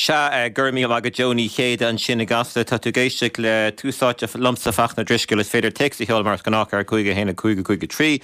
Sea, go raibh míle maith agat Joe Ní Chéide ansin i gCasla. Tá tú ag éisteacht le Tús Áite liomsa, Fachtna Ó Drisceoil. Is féidir téacs a sheoladh mar is gnách ar 5 1 5 5 3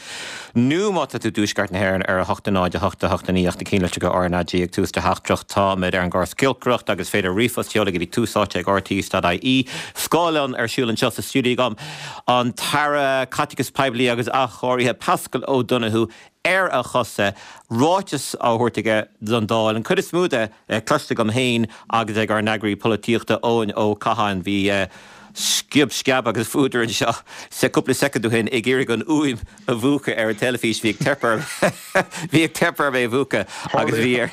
nó má tá tú i dtuaisceart na hÉireann ar 8 0 8 8 9 ach na cinnlitreacha RnaG ag tús do theachtaireacht. Táimid ar an gcóras giolcaireachta agus is féidir ríomhphost a sheoladh go dtí túsáite@rte.ie. Scáileán ar siúl anseo sa stiúideo agam. An tAire Caiteachais Poiblí agus Athchóirithe Paschal Donohoe ar a chosa, ráiteas á thabhairt aige don Dáil, an chuid is mó de cloiste agam féin agus ag ár n-eagraí polaitíochta Eoin Ó Catháin. Bhí sciob sceab agus fuadar anseo cúpla soicind ó shin ag iarraidh an fhuaim a mhúchadh ar an teilifís. Bhí ag teip orm bhí ag teip orm é a mhúchadh agus bhí ar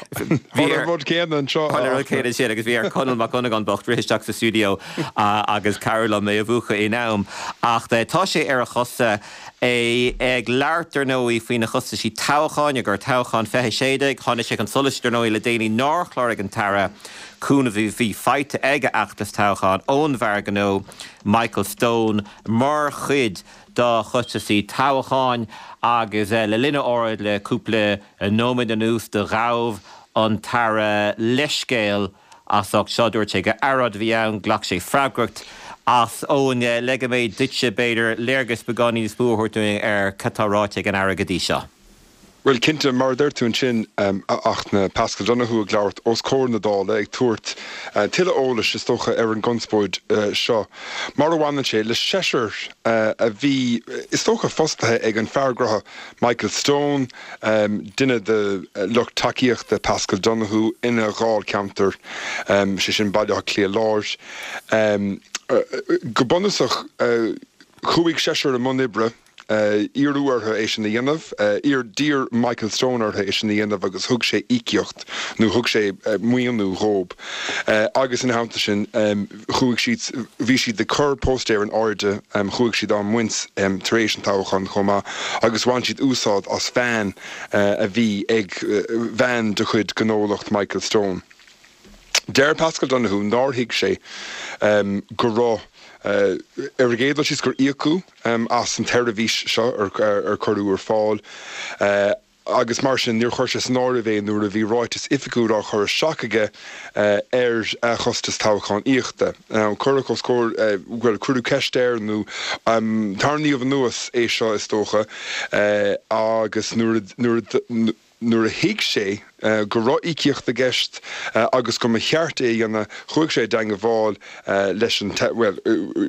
bhí ar an rud céanna anseo. Tharla an rud céanna ansin agus bhí ar Conall Mac Dhonnagáin bocht rith isteach sa stiúideo agus cabhrú liom é a mhúchadh in am. Ach tá sé ar a chosa. É ag labhairt, dar ndóigh, faoi na costaisí toghcháin, i gcomhair toghchán 2016. Tháinig sé chun solais, dar ndóigh, le déanaí nár chláraigh an tAire cúnamh a bhí faighte ag a fheachtas toghcháin ón bhfear gnó Michael Stone mar chuid dá chostaisí toghcháin agus le linn a óráid le cúpla nóiméad anuas do ghabh an tAire leithscéal as ucht seo. Dúirt sé gur earráid a bhí ann, ghlac sé freagracht as. Eoin, leigfidh mé duitse, b'fhéidir, léargas beagáinín níos mó a thabhairt dúinn ar cad tá ráite ag an Aire go dtí seo. Bhuel, cinnte, mar a deir tú ansin, a Fhachtna, Paschal Donohoe ag labhairt os comhair na Dála, ag tabhairt tuilleadh eolais, is dócha, ar an gconspóid seo, mar a bhaineann sé le seisear a bhí, is dócha, fostaithe ag an fear gnó Michael Stone, duine de lucht tacaíochta Paschal Donohoe ina dháilcheantar, sé sin Baile Átha Cliath Láir. Go bunúsach, chuaigh seisear i mbun oibre, iarradh orthu é sin a dhéanamh, d'iarr Michael Stone orthu é sin a dhéanamh agus thug sé íocaíocht nó thug sé maoiniú dhób agus ina theannta sin chuaigh siad, bhí siad ag cur póstaer in airde, chuaigh siad á mbaint tar éis an toghcháin chomh maith agus bhain siad úsáid as veain a bhí ag, veain de chuid gnólacht Michael Stone. Deir Paschal Donohoe nár thuig sé go raibh, ar an gcéad dul síos, gur íocadh as an tseirbhís seo ar cuireadh ar fáil. agus mar sin níor chuir sé san áireamh é nuair a bhí ráiteas oifigiúil á chur isteach aige ar a chostas toghchánaíochta. Cuireadh os comhair, bhuel, cuireadh ceist air nó tarraingíodh anuas é seo is dócha agus nuair a, nuair a, nuair a thuig sé go raibh íocaíocht i gceist agus go mba cheart é a dhéanamh, chuaigh sé i dteangabháil leis an, bhuel,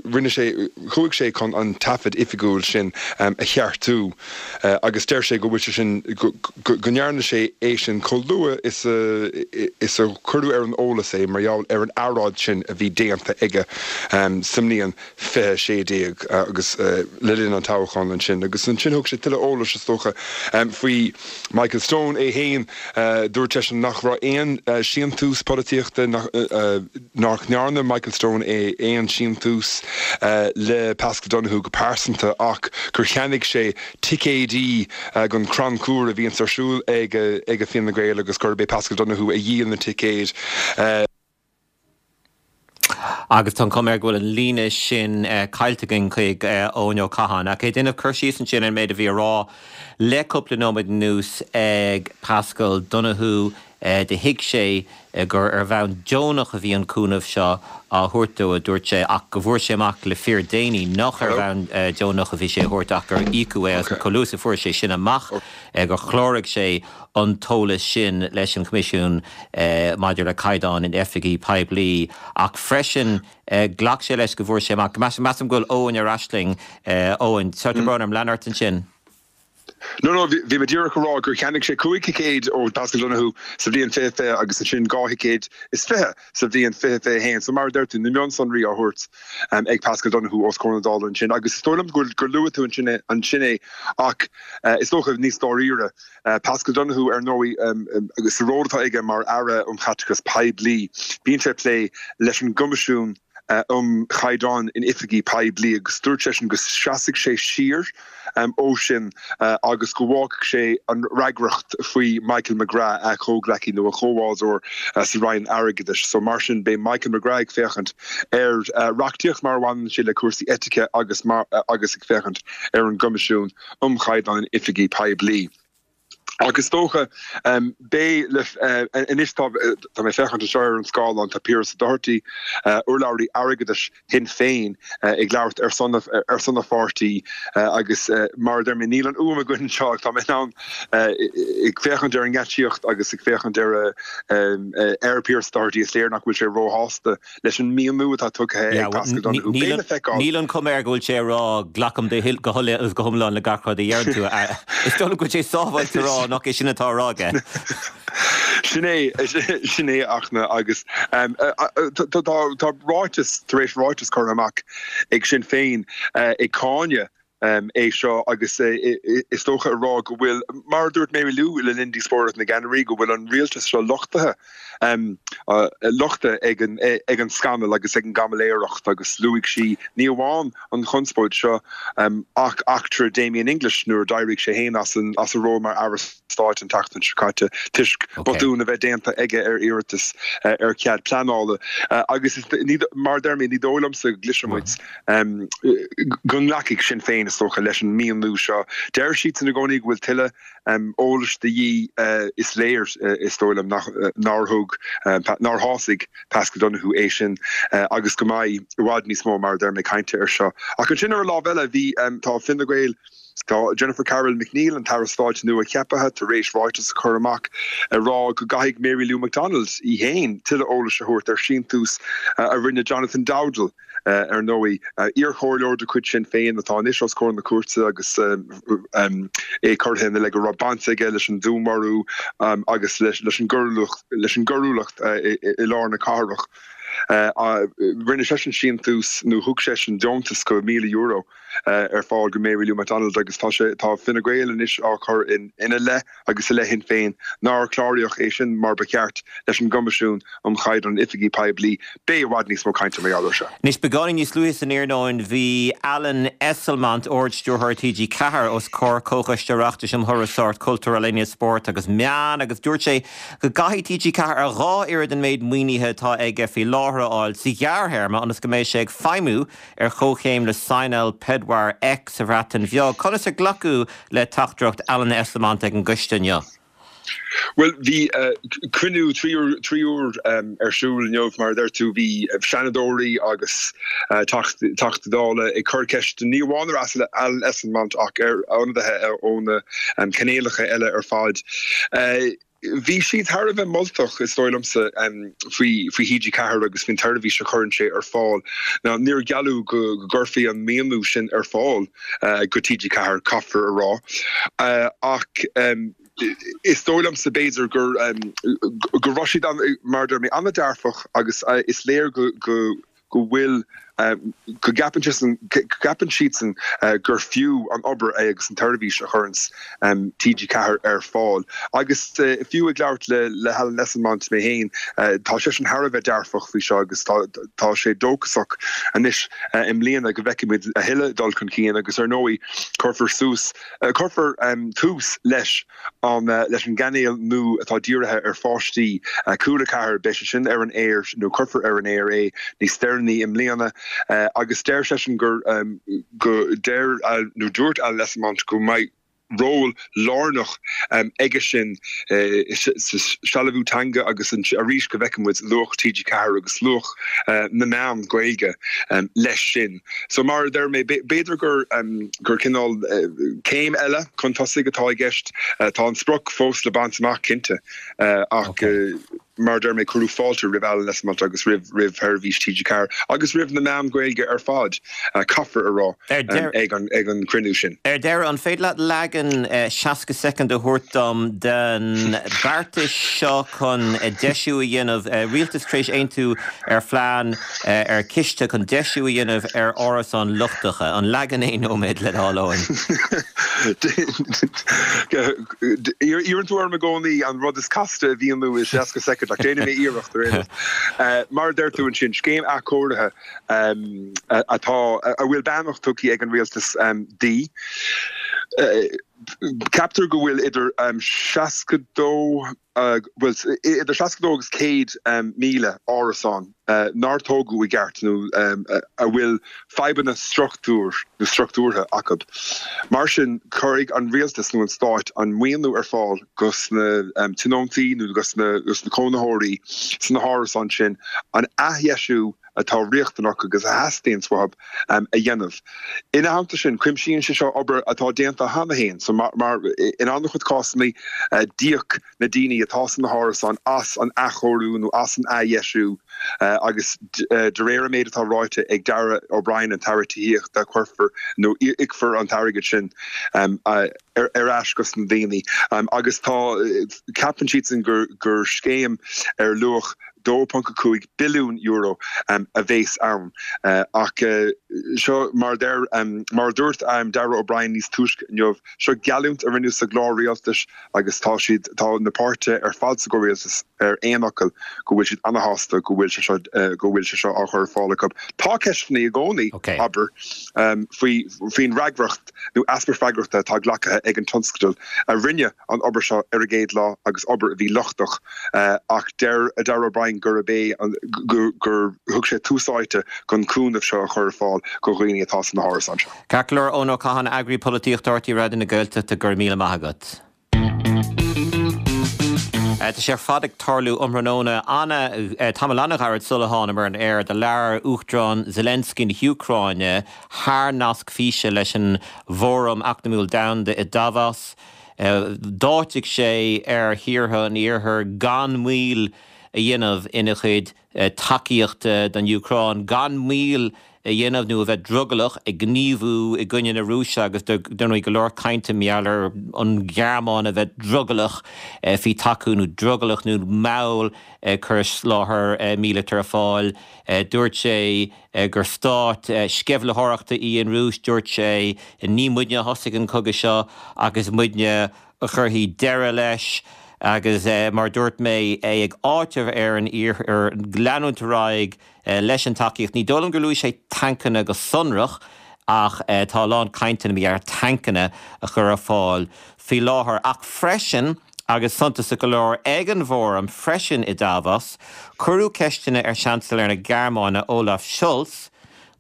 rinne sé, chuaigh sé chun an taifead oifigiúil sin a cheartú agus deir sé go bhfuil sé sin, go ndearna sé é sin chomh luath is a, is a cuireadh ar an eolas é mar gheall ar an earráid sin a bhí déanta aige sa mbliain 2016 agus le linn an toghcháin ansin. Agus ansin thug sé tuilleadh eolais, is dócha, faoi Michael Stone é féin. Dúirt seisean nach raibh aon síntiús polaitíochta, nach ndearna Michael Stone aon síntiús le Paschal Donohoe go pearsanta ach gur cheannaigh sé ticéidí don chrannchur a bhíonns ar siúl ag Fine Gael agus gurb é Paschal Donohoe a dhíol na ticéid. Agus tá an chuma air go bhfuil an líne sin caillte againn chuig Eoin Ó Catháin. Ach é ag déanamh cur síos ansin ar an méid a bhí á rá le cúpla nóiméad anuas ag Paschal Donohoe, do thuig sé gur ar bhonn deonach a bhí an cúnamh seo á thabhairt dó, a dúirt sé, ach go bhfuair sé amach le fíor déanaí nach ar bhonn deonach a bhí sé a thabhairt ach gur íocadh é agus chomh luath is a fuair sé sin amach gur chláraigh sé an t-eolas sin leis an Choimisiún maidir le Caighdeáin in Oifigí Poiblí ach freisin ghlac sé leis go bhfuair sé amach, measaim go bhfuil Eoin ar ais linn. Eoin, tá brón orm, lean ort ansin. No, no, bhí mé díreach ag rá gur cheannaigh sé 5 thicéad ó Paschal Donohoe sa bhliain 2020 agus ansin 2 thicéad is 20 sa bhliain 2021. So mar a deir tú, na mionsonraí á thabhairt ag Paschal Donohoe os comhair na Dála ansin agus is dóigh liom gur luaigh tú ansin é ach is dócha níos dáiríre, Paschal Donohoe, ar ndóigh, agus sa ról atá aige mar Aire um Chaiteachas Poiblí, bíonn sé ag plé leis an gCoimisiún um Chaighdeáin in Oifigí Poiblí agus dúirt seisean go seasfaidh sé siar ó sin agus go bhfágfaidh sé an fhreagracht faoi Michael McGrath, a chomhghleacaí nó a chomhbhádóir sa Roinn Airgeadais. So mar sin, beidh Michael McGrath ag féachaint ar reachtaíocht mar a bhaineann sé le cúrsaí eitice agus agus ag féachaint ar an gCoimisiún. um Chaighdeáin Oifigí Poiblí. Ach is dócha, beidh le, anois tá, tá mé ag féachaint anseo ar an scáileán, tá Pearse Doherty, urlabhraí airgeadais Shinn Féin, ag labhairt ar son, ar son a pháirtí agus mar a deir mé, níl an fhuaim againn anseo ach tá mé in ann, ag féachaint ar an ngeáitsíocht agus ag féachaint ar, ar Pearse Doherty, is léir nach bhfuil sé róshásta leis an míniú atá tugtha ag Paschal Donohoe. Beidh le feiceáil. Níl an chuma air go bhfuil sé ag rá glacaim go huile agus go hiomlán le gach rud a deireann tú. Is dóigh liom go bhfuil sé sábháilte a rá nach é sin atá á rá aige. Sin é, sin é a Fhachtna agus tá ráiteas tar éis ráiteas curtha amach ag Sinn Féin ag cáineadh é seo agus is dócha a rá go bhfuil, mar a dúirt Mary Lou le linn díospóireacht na gceannairí, go bhfuil an rialtas seo lochtaithe, lochtaithe ag an ag an scannal agus ag an gcaimiléireacht agus luaigh sí ní amháin an chonspóid seo ach eachtra Damien English nuair a d'éirigh sé féin as an as a ról mar Aire Stáit an tseachtain seo caite toisc botún a bheith déanta aige ar iarratas ar chead pleanála agus mar a deir mé ní dóigh liomsa go gcloisfidh muid go nglacfaidh Sinn Féin, is dócha, leis an míniú seo. Deir siadsan i gcónaí go bhfuil tuilleadh eolais de dhíth. Is léir, is dóigh liom, nár thug, nár shásaigh Paschal Donohoe é sin agus go mbeidh i bhfad níos mó, mar a deir mé, cainte air seo. Ach ansin ar an lámh eile, bhí, tá Fine Gael, Tá Jennifer Carroll MacNeill, an tAire Stáit nua-cheaptha, tar éis ráiteas a chur amach ag rá go gcaithfidh Mary Lou McDonald í féin tuilleadh eolais a thabhairt ar shíntiús a rinne Jonathan Dowdall, ar ndóigh, iarchomhairleoir de chuid Sinn Féin atá anois os comhair na cúirte agus é curtha ina leith go raibh baint aige leis an dúnmharú agus leis an gcoiriúlacht i lár na cathrach. Rinne seisean síntiús nó thug seisean deontas go €1,000. ar fáil go Mary Lou McDonald agus tá sé, tá Fine Gael anois á chur ina leith agus i leith Shinn Féin nár cláraíodh é sin mar ba cheart leis an gCoimisiún um Chaighdeán Oifigí Poiblí. Beidh i bhfad níos mó cainte mar gheall air seo. Anois, beagáinín níos luaithe san iarnóin bhí Alan Esslemont, Ard-Stiúrthóir TG4, os comhair Comhchoiste Oireachtais um Thurasóireacht, Cultúr, Ealaíona, Spórt agus Meán agus dúirt sé go gcaithfidh TG4 a dhá oiread an méid maoinithe atá aige faoi láthair a fháil sa ghearrthéarma ionas go mbeidh sé ag feidhmiú ar chomhchéim le Signal 4 X sa Bhreatain Bheag. Conas a glacadh le teachtaireacht Alan Esslemont ag an gcoiste inniu? Bhuel, bhí cruinniú 3 uair ar siúl inniu, mar a deir tú. Bhí Seanadóirí agus Teachtaí Dála ag cur ceisteanna, ní amháin ar Alan Esslemont ach ar ionadaithe ó na cainéalacha eile ar fad. Bhí siad thar a bheith moltach, is dóigh liomsa, faoi TG4 agus faoin tseirbhís a chuireann sé ar fáil. Now, níor gealladh go gcuirfí an maoiniú sin ar fáil go TG4, caithfear a rá, ach is dóigh liomsa, b'fhéidir, gur go raibh siad, mar a deir mé, an-dearfach agus is léir go go bhfuil, go gceapann siadsan, go gceapann siadsan gur fiú an obair é agus an tseirbhís a chuireanns TG4 ar fáil. Agus fiú ag labhairt le le hAlan Esslemont mé féin, tá seisean thar a bheith dearfach faoi seo agus tá tá sé dóchasach anois i mbliana go bhfeicfimid a thuilleadh dul chun cinn agus ar ndóigh cuirfear suas, cuirfear tús leis an leis an gcainéal nua atá dírithe ar pháistí, Cúla 4, beidh sé sin ar an aer nó cuirfear ar an aer é níos deireanaí i mbliana agus deir seisean gur go deir nó dúirt Alan Esslemont go mbeidh ról lárnach aige sin sa sealbhú teanga agus arís go bhfeicfidh muid luach TG4 agus luach na meán Gaeilge leis sin. So mar a deir mé, b'fhéidir gur gur cineál céim eile chun tosaigh atá i gceist. Tá an sprioc fós le baint amach, cinnte, ach mar a deir mé, cuireadh fáilte roimh Alan Esslemont agus roimh roimh sheirbhís TG4 agus roimh na meáin Ghaeilge ar fad, caithfear a rá, ag an ag an gcruinniú sin. Ar deireadh, an féidir leat leagan 60 soicind a thabhairt dom den beartas seo chun deisiú a dhéanamh, rialtas tar éis aontú ar phlean ar chiste chun deisiú a dhéanamh ar árasáin lochtacha. An leagan aon nóiméad le do thoil, Eoin. Iarrann tú orm i gcónaí an rud is casta a mhíniú i 60 soicind ach déanfaidh mé iarracht ar aon nós. Mar a deir tú ansin, scéim athchóirithe atá, a bhfuil beannacht tugtha ag an rialtas di. Ceaptar go bhfuil idir 62, bhuel, idir 62 agus 100,000 árasán nár tógadh i gceart nó a bhfuil fadhbanna struchtúir nó struchtúrtha acu. Mar sin, cuirfidh an rialtas nó an stáit an maoiniú ar fáil dos na tionóntaí nó dos na cónaitheoirí sna hárasáin sin an athdheisiú atá riachtanach agus a theastaíonns uathu a dhéanamh. Ina theannta sin, cuimsíonn sé seo obair atá déanta cheana féin, so mar in an-chuid cásanna d'íoc na daoine atá sna hárasáin as an athchóiriú nó as an athdheisiú agus de réir an méid atá ráite ag Darragh O'Brien, an tAire Tithíochta, cuirfear nó íocfar an t-airgead sin ar ais dos na daoine agus tá, ceapann siadsan gur scéim ar luach €2.5 billiún a bhéas ann. Ach seo mar a deir, mar a dúirt Darragh O'Brien níos túisce inniu, seo geallúint a rinneadh sa gclár rialtais agus tá siad, tá na páirtithe ar fad sa gcomhrialtas ar aon fhocal go bhfuil siad ana-shásta go bhfuil sé seo, go bhfuil sé seo á chur ar fáil acu. Tá ceisteanna i gcónaí, abair, faoi, faoin bhfreagracht nó easpa freagrachta atá glactha ag an tionscadal a rinne an obair seo ar an gcéad lá agus obair a bhí lochtach ach deir Darragh O'Brien gurb é an gur thug sé tús áite don chúnamh seo a chur ar fáil do dhaoine atá sna hárasáin seo. Ceart go leor, Eoin Ó Catháin, Eagraí Polaitíochta RTÉ Raidió na Gaeltachta, go raibh míle maith agat. Tá sé ar fad ag tarlú um thráthnóna ana, tamall an-ghairid sula thánamar ar an aer, do labhair Uachtarán Zelensky na hÚcráine thar nasc físe leis an bhFóram Eacnamúil Domhanda i Davos. D'áitigh sé ar thíortha an Iarthair gan moill a dhéanamh ina chuid tacaíochta don Úcráin, gan moill a dhéanamh nó a bheith drogallach ag gníomhú i gcoinne na Rúise agus dar ndóigh go leor cainte mar gheall ar an Ghearmáin a bheith drogallach faoi tacú nó drogallach nó mall ag cur soláthar míleata ar fáil. Dúirt sé gur stát sceimhlitheoireachta í an Rúis. Dúirt sé ní muidne a thosaigh an cogadh seo ach is muidne a chuirfidh deireadh leis agus mar a dúirt mé, é ag áiteamh ar an Iarthar leanúint ar aghaidh leis an tacaíocht. Ní dóigh liom gur luaigh sé tancanna go sonrach ach tá a lán cainteanna mar gheall ar tancanna a chur ar fáil faoi láthair. Ach freisin, agus suntasach go leor, ag an bhfóram freisin i Davos, cuireadh ceisteanna ar Seansailéir na Gearmáine Olaf Scholz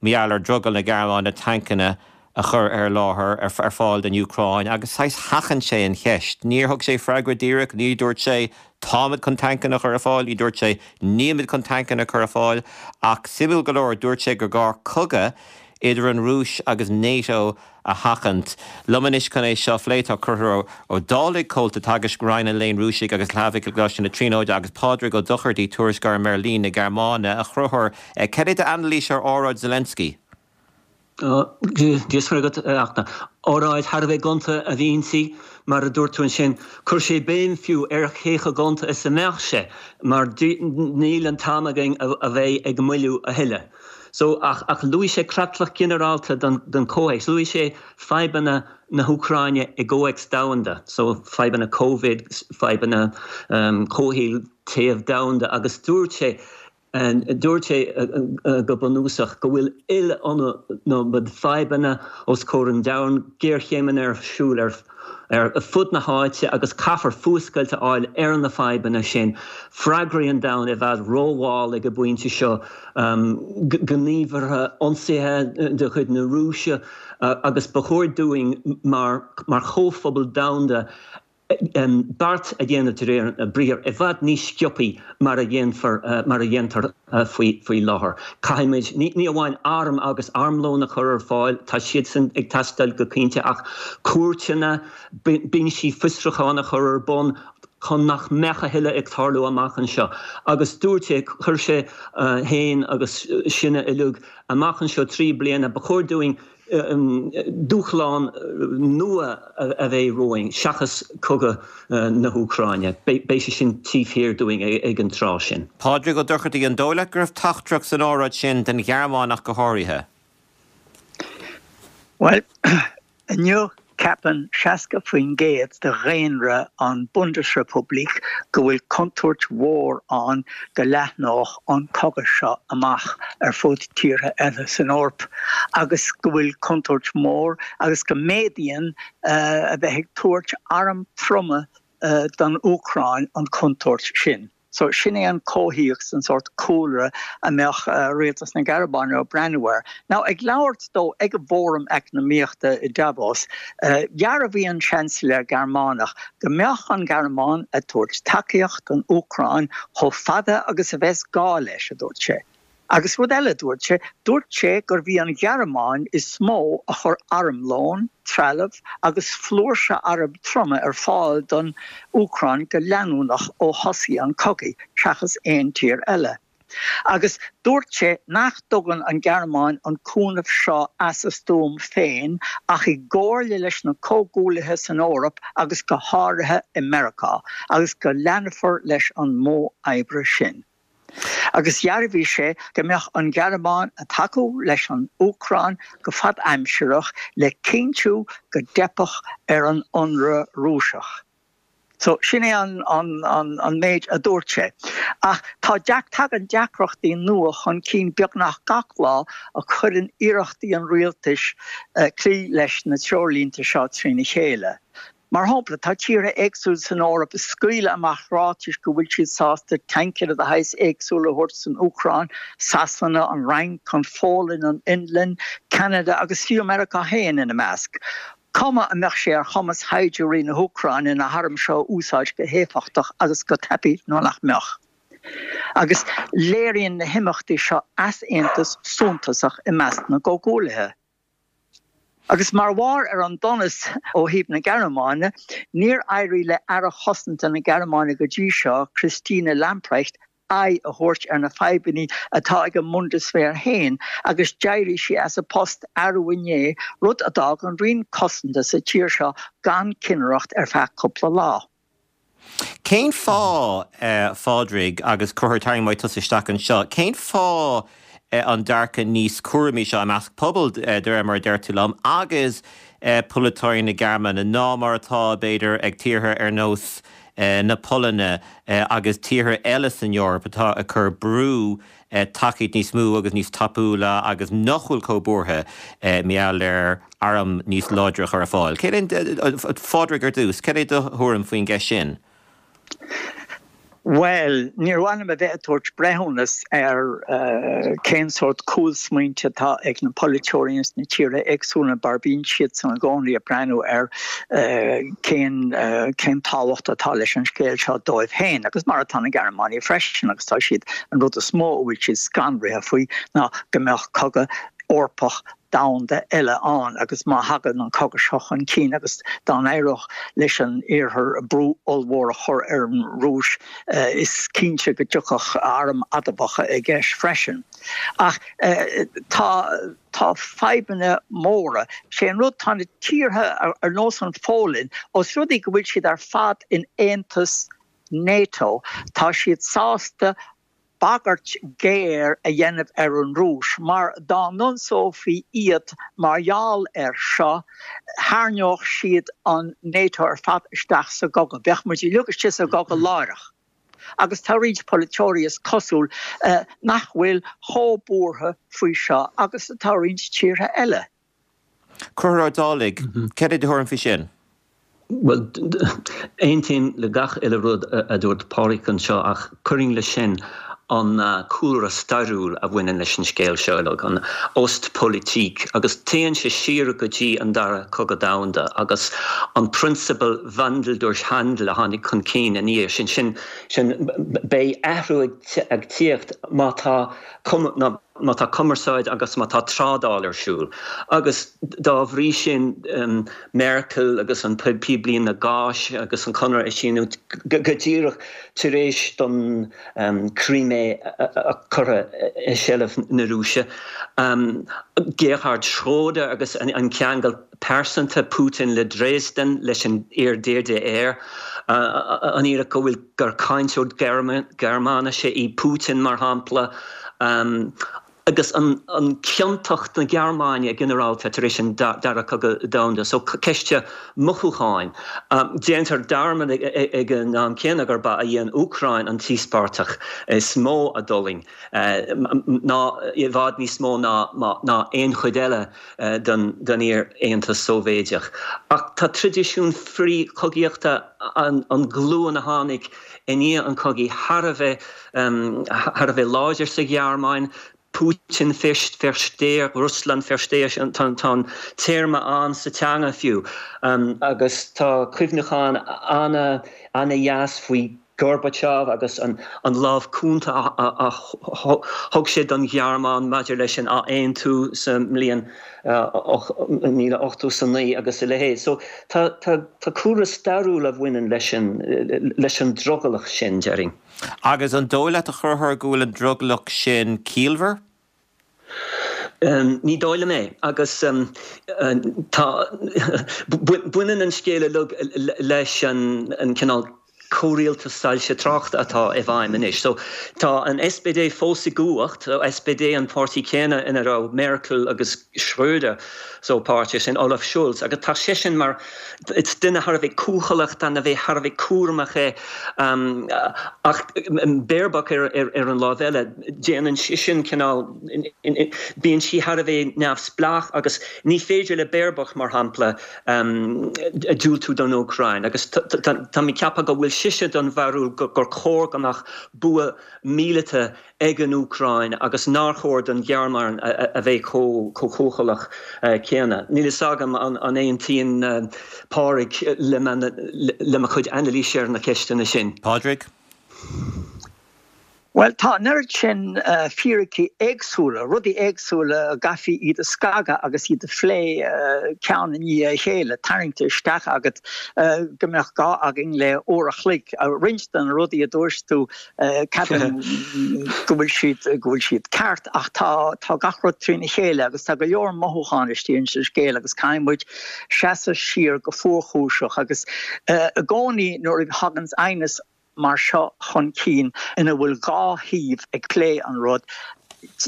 mar gheall ar drogall na Gearmáine tancanna a chur ar láthair, ar fáil don Úcráin agus saghas sheachain sé an cheist. Níor thug sé freagra díreach, ní dúirt sé táimid chun tancanna a chur ar fáil, ní dúirt sé nílimid chun tancanna a chur ar fáil ach suimiúil go leor dúirt sé gur gá cogadh idir an Rúis agus NATO a sheachaint. Liom anois chun é seo a phlé tá Conchúr Ó Dálaigh, Comhalta Teagaisc Roinn an Léinn Rúisigh agus Shlavaigh i gColáiste na Tríonóide agus Pádraig Ó Dochartaigh, Tuairisceoir i mBeirlín na Gearmáine. A Chonchúir, cad é d'anailís ar óráid Zelensky? Dia is Muire agat, a Fhachtna. Óráid thar a bheith gonta a bhí inti, mar a dúirt tú ansin. Chuir sé béim fiú ar cé chomh gonta is a mbeadh sé, mar níl an t-am againn a bheith ag moilliú a thuilleadh. So, ach, ach luaigh sé creatlach ginearálta don, don chomhthéacs. Luaigh sé fadhbanna na hÚcráine i gcomhthéacs domhanda, so fadhbanna Covid, fadhbanna comhshaoil, téamh domhanda, agus dúirt sé, Dúirt sé go bunúsach go bhfuil iliomad fadhbanna os comhair an domhain, géarchéimeanna ar siúl ar fud na háite agus caithfear fuascailt a fháil ar na fadhbanna sin. Freagraí an domhain i bhfad rómhall ag an bpointe seo, gníomhartha ionsaithe de chuid na Rúise agus ba chóir dúinn mar chomhphobal domhanda beart a dhéanamh de réir a briathair i bhfad níos sciobthaí mar a dhéanfar, mar a dhéantar faoi láthair. Caithfimid ní amháin airm agus armlón a chur ar fáil, tá siadsan ag teastáil go cinnte, ach cúirteanna, binsí fiosrúcháin a chur ar bun chun nach mbeadh a thuilleadh ag tarlú amach anseo. Agus dúirt sé, chuir sé féin agus sinne uilig amach anseo 3 bliana, ba chóir dúinn dúshlán nua a bheidh romhainn seachas cogadh na hÚcráine. Beidh sé sin taobh thiar dúinn ag an tráth sin. Pádraig Ó Dochartaigh, An dóigh leat go raibh teachtaireacht san óráid sin don Ghearmáin ach go háirithe? Bhuel, inniu. Ceapann 60% de dhaonra an Bundesrepublik go bhfuil contúirt mhór ann go leathnódh an cogadh seo amach ar fud tíortha eile san Eoraip agus go bhfuil contúirt mhór agus go méadaíonn a bheith ag tabhairt airm troma don Úcráin an chontúirt sin. So sin é an comhthéacs, an sórt cúlra a mbeadh rialtas na Gearmáine ag breathnú air. Now ag labhairt dó ag an bhFóram Eacnamaíochta i Davos, dhearbhaigh an Seansailéir Gearmánach go mbeadh an Ghearmáin ag tabhairt tacaíocht don Úcráin chomh fada agus a bheas gá leis, a dúirt sé. Agus rud eile a dúirt sé, dúirt sé gurbh í an Ghearmáin is mó a chuir armlón, trealamh agus flúirse arm troma ar fáil don Úcráin go leanúnach ó thosaigh an cogadh, seachas aon tír eile. Agus dúirt sé nach dtugann an Ghearmáin an cúnamh seo as a stuaim féin ach i gcomhairle leis na comhghuaillithe san Eoraip agus go háirithe i Meiriceá, agus go leanfar leis an modh oibre sin. Agus dhearbhaigh sé go mbeadh an Ghearmáin ag tacú leis an Úcráin go fadaimsearach le cinntiú go dteipfeadh ar an ionradh Rúiseach. So, sin é an méid a dúirt sé. Ach tá tagann deacrachtaí nua chun cinn beagnach gach lá a chuireann iarrachtaí an rialtais cloí leis na treoirlínte seo trína chéile. Mar shampla, tá tíortha éagsúla san Eoraip ag scaoileadh amach ráitis go bhfuil siad sásta tancanna de shaghas éagsúla a thabhairt don Úcráin, Sasana, an Fhrainc, an Pholainn, an Fhionlainn, Ceanada agus fiú Meiriceá féin ina measc. Cuma an mbeadh sé ar chumas shaighdiúirí na hÚcráine na hairm seo a úsáid go héifeachtach agus go tapaidh nó nach mbeadh. Agus léiríonn na himeachtaí seo easaontas suntasach i measc na gcomhghuaillithe. Agus mar bharr ar an donas ó thaobh na Gearmáine, níor éirigh le Aire Cosanta na Gearmáine go dtí seo, Christine Lamprecht, aghaidh a thabhairt ar na fadhbanna atá ag an mBundeswehr féin agus d'éirigh sí as a post arú inné, rud a d'fhág an Roinn Cosanta sa tír seo gan cinnireacht ar feadh cúpla lá. Cén fáth, a Phádraig, agus Conchúr, tarraing muid tusa isteach anseo, cén fáth an dearcadh níos cúramaí seo i measc pobal, de réir mar a deir tú liom, agus polaiteoirí na Gearmáine ná mar atá, b'fhéidir, ag tíortha ar nós na Polainne agus tíortha eile san Eoraip atá ag cur brú tacaíocht níos mó agus níos tapúla agus nach bhfuil chomh buartha mar gheall ar arm níos láidre a chur ar fáil. Céard é, a Phádraig ar dtús, céard é do thuairim faoin gceist sin? Bhuel, níor mhaith liom a bheith ag tabhairt breithiúnas ar cén sórt cúlsmaointe atá ag na polaiteoirí ins na tíortha éagsúla mar bíonn siadsan i gcónaí ag breathnú ar cén cén tábhacht atá leis an scéal seo dóibh féin agus mar atá na Gearmánaigh freisin agus tá siad an rud is mó a bhfuil siad scanraithe faoi ná go mbeadh cogadh Eorpach domhanda eile ann agus má thagann an cogadh seo chun cinn agus dá n-éireodh leis an Iarthar brú ollmhór a chur ar an Rúis is cinnte go dtiocfadh airm adamhacha i gceist freisin. Ach tá tá fadhbanna móra. Sé an rud, tá na tíortha ar nós an Pholainn, os rud é go bhfuil siad ar fad in aontas NATO, tá siad sásta bagairt ghéar a dhéanamh ar an Rúis, mar dá n-ionsófaí iad mar gheall air seo, tharraingeodh siad an NATO ar fad isteach sa gcogadh. Bheadh muid uilig istigh sa gcogadh láithreach. Agus tá roinnt polaiteoirí, is cosúil, nach bhfuil chomh buartha faoi seo agus atá roinnt tíortha eile. Conchúr Ó Dálaigh, céard é do thuairim faoi sin? Bhuel, aontaím le gach uile rud a dúirt Pádraig anseo ach cuirfinn leis sin an cúlra stairiúil a bhaineann leis an scéal seo uilig, an Ostpolitik, agus téann sé siar go dtí an Dara Cogadh Domhanda agus an prionsabal Wandel durch Handel a tháinig chun cinn ina dhiaidh sin. Sin, sin, beidh athrú ag tíocht má tá má tá cumarsáid agus má tá trádáil ar siúl. Agus dá bhrí sin, Merkel agus an píblíne gáis agus an conradh a síniú go díreach tar éis don Crimea a curtha i seilbh na Rúise, Gerhard Schröder agus an ceangal pearsanta Putin le Dresden, leis an iar-DDR, an fhíric go bhfuil gur cainteoir Gearmáinise í Putin, mar shampla. Agus an ciontacht na Gearmáine ginearálta tar éis an Dara Cogadh Domhanda, so ceist mothúcháin. Déantar dearmad ag an am céanna gur ba í an Úcráin an t-íospartach is mó a d'fhulaing, ná i bhfad níos mó ná aon chuid eile den iar-Aontas Sóivéideach. Ach tá traidisiún frith-chogaíochta an ghlúin a tháinig i ndiaidh an chogaidh thar a bheith thar a bheith láidir sa Ghearmáin, Putin Versteher, Russland Versteher, tá an téarma ann sa teanga fiú, agus tá cuimhneachán ana-dheas faoi Gorbachev agus an lámh cúnta a thug sé don Ghearmáin maidir leis an athaontú sa mbliain 1989 agus a leithéid. So tá cúlra stairiúil a bhaineann leis an drogallach sin, déarfainn. Agus an dóigh leat, a Chonchúir, go bhfuil an drogallach sin ciallmhar? Ní dóigh liom é. Agus tá, baineann an scéal uilig leis an cineál comhrialtas soilse tráchta atá i bhfeidhm anois. So tá an SPD fós i gcumhacht, SPD an páirtí céanna ina raibh Merkel agus Schröder so páirteach, sin Olaf Scholz, agus tá seisean mar, Is duine thar a bheith cúthaileach, duine a bheith thar a bheith cúramach é. Ach Baerbock ar an láimh eile, déanann sise cineál, bíonn sí thar a bheith neamhspleách agus ní féidir le Baerbock, mar shampla, diúltú don Úcráin. Agus tá mé ag ceapadh go bhfuil sise den bharúil gur chóir go mbeadh bua míleata ag an Úcráin agus nár chóir don Ghearmáin a bheith chomh cúthaileach céanna. Níl fhios agam an aontaíonn Pádraig le mo chuid anailíse ar na ceisteanna sin. Pádraig? Bhuel, tá an oiread sin fíricí éagsúla, rudaí éagsúla a gcaithfí iad a scagadh agus iad a phlé ceann i ndiaidh a chéile, tarraingte isteach agat go mbeadh gá againn le uair a chloig. Roinnt de na rudaí a dúirt tú, Ceapaim go bhfuil siad, go bhfuil siad ceart ach tá, tá gach rud trína chéile agus tá go leor mothúchán istigh ins an scéal agus caithfidh muid seasamh siar go fuarchúiseach agus i gcónaí nuair a thaganns aighneas mar seo chun cinn ina bhfuil dhá thaobh ag plé an rud,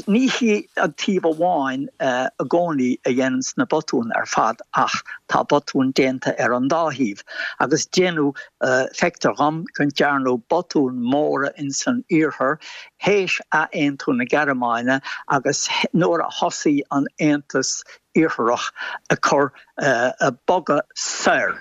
Ní hí an taobh amháin i gcónaí a dhéananns na botúin ar fad ach tá botúin déanta ar an dá thaobh agus déanadh, feictear dhom go ndearnadh botúin móra ins an iarthar théis athaontú na Gearmáine agus nuair a thosaigh an Aontas Iartharach ag cur, ag bogadh soir